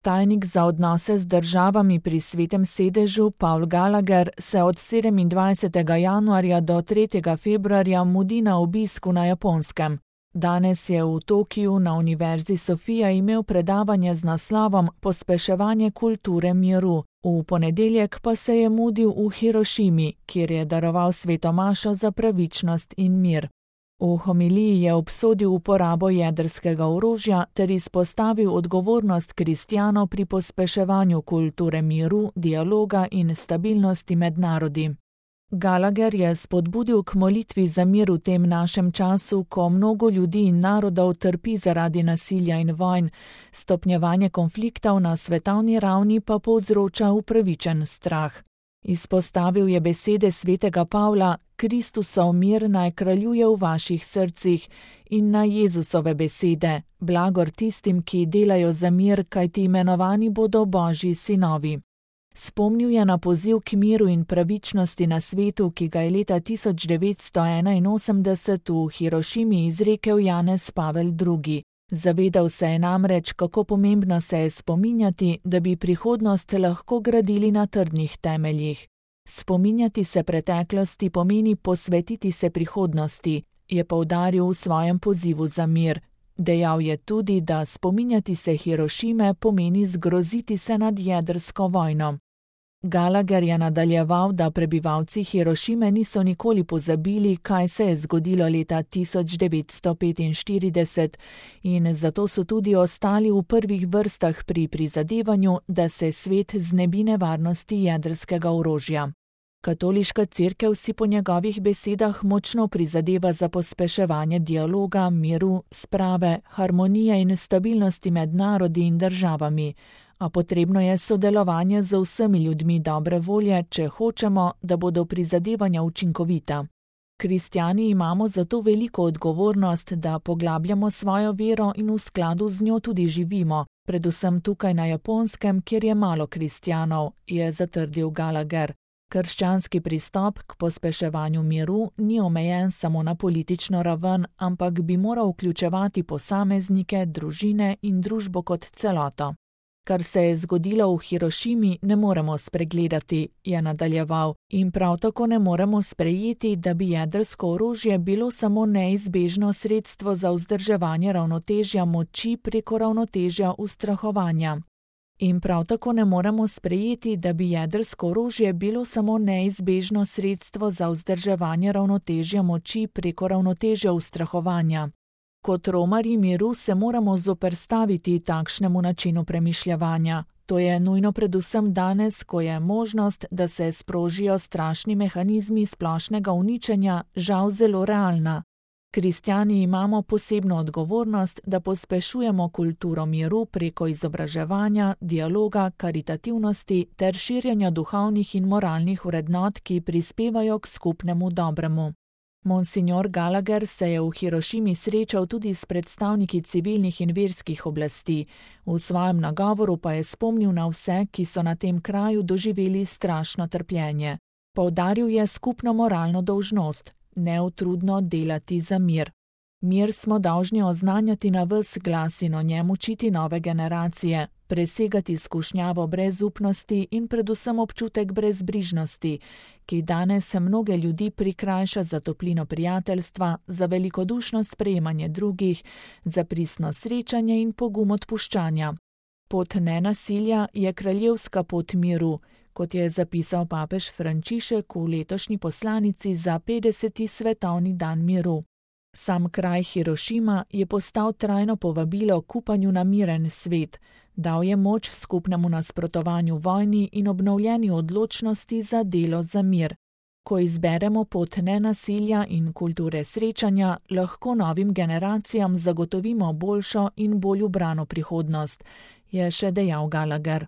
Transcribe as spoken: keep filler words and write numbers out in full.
Tajnik za odnose z državami pri Svetem sedežu Paul Gallagher se od sedemindvajsetega januarja do tretjega februarja mudi na obisku na Japonskem. Danes je v Tokiu na Univerzi Sofia imel predavanje z naslovom Pospeševanje kulture miru. V ponedeljek pa se je mudil v Hirošimi, kjer je daroval sveto mašo za pravičnost in mir. V homiliji je obsodil uporabo jedrskega orožja ter izpostavil odgovornost kristjanov pri pospeševanju kulture miru, dialoga in stabilnosti med narodi. Gallagher je spodbudil k molitvi za mir v tem našem času, ko mnogo ljudi in narodov trpi zaradi nasilja in vojn, stopnjevanje konfliktov na svetovni ravni pa povzroča upravičen strah. Izpostavil je besede svetega Pavla: Kristusov mir naj kraljuje v vaših srcih, in na Jezusove besede: blagor tistim, ki delajo za mir, kajti imenovani bodo Božji sinovi. Spomnil je na poziv k miru in pravičnosti na svetu, ki ga je leta tisoč devetsto enainosemdeset v Hirošimi izrekel Janez Pavel drugi. Zavedal se je namreč, kako pomembno se je spominjati, da bi prihodnost lahko gradili na trdnih temeljih. Spominjati se preteklosti pomeni posvetiti se prihodnosti, je poudaril v svojem pozivu za mir. Dejal je tudi, da spominjati se Hirošime pomeni zgroziti se nad jedrsko vojno. Gallagher je nadaljeval, da prebivalci Hirošime niso nikoli pozabili, kaj se je zgodilo leta tisoč devetsto petinštirideset, in zato so tudi ostali v prvih vrstah pri prizadevanju, da se svet znebi nevarnosti jedrskega orožja. Katoliška cerkev si po njegovih besedah močno prizadeva za pospeševanje dialoga, miru, sprave, harmonije in stabilnosti med narodi in državami, a potrebno je sodelovanje z vsemi ljudmi dobre volje, če hočemo, da bodo prizadevanja učinkovita. Kristjani imamo zato veliko odgovornost, da poglabljamo svojo vero in v skladu z njo tudi živimo, predvsem tukaj na Japonskem, kjer je malo kristjanov, je zatrdil Gallagher. Krščanski pristop k pospeševanju miru ni omejen samo na politično raven, ampak bi moral vključevati posameznike, družine in družbo kot celoto. Kar se je zgodilo v Hirošimi, ne moremo spregledati, je nadaljeval, in prav tako ne moremo sprejeti, da bi jedrsko orožje bilo samo neizbežno sredstvo za vzdrževanje ravnotežja moči preko ravnotežja ustrahovanja. In prav tako ne moremo sprejeti, da bi jedrsko orožje bilo samo neizbežno sredstvo za vzdrževanje ravnotežja moči preko ravnotežja ustrahovanja. Kot romarji miru se moramo zoperstaviti takšnemu načinu premišljevanja. To je nujno predvsem danes, ko je možnost, da se sprožijo strašni mehanizmi splošnega uničenja, žal zelo realna. Kristjani imamo posebno odgovornost, da pospešujemo kulturo miru preko izobraževanja, dialoga, karitativnosti ter širjenja duhovnih in moralnih vrednot, ki prispevajo k skupnemu dobremu. Monsignor Gallagher se je v Hirošimi srečal tudi s predstavniki civilnih in verskih oblasti. V svojem nagovoru pa je spomnil na vse, ki so na tem kraju doživeli strašno trpljenje. Poudaril je skupno moralno dolžnost: neutrudno delati za mir. Mir smo dolžni oznanjati na ves glas in o njem učiti nove generacije, presegati skušnjavo brezupnosti in predvsem občutek brezbrižnosti, ki danes mnoge ljudi prikrajša za toplino prijateljstva, za velikodušno sprejemanje drugih, za pristno srečanje in pogum odpuščanja. Pot nenasilja je kraljevska pot miru, kot je zapisal papež Frančišek v letošnji poslanici za petdeseti svetovni dan miru. Sam kraj Hirošima je postal trajno povabilo k upanju na miren svet, dal je moč skupnemu nasprotovanju vojni in obnovljeni odločnosti za delo za mir. Ko izberemo pot nenasilja in kulture srečanja, lahko novim generacijam zagotovimo boljšo in bolj ubrano prihodnost, je še dejal Gallagher.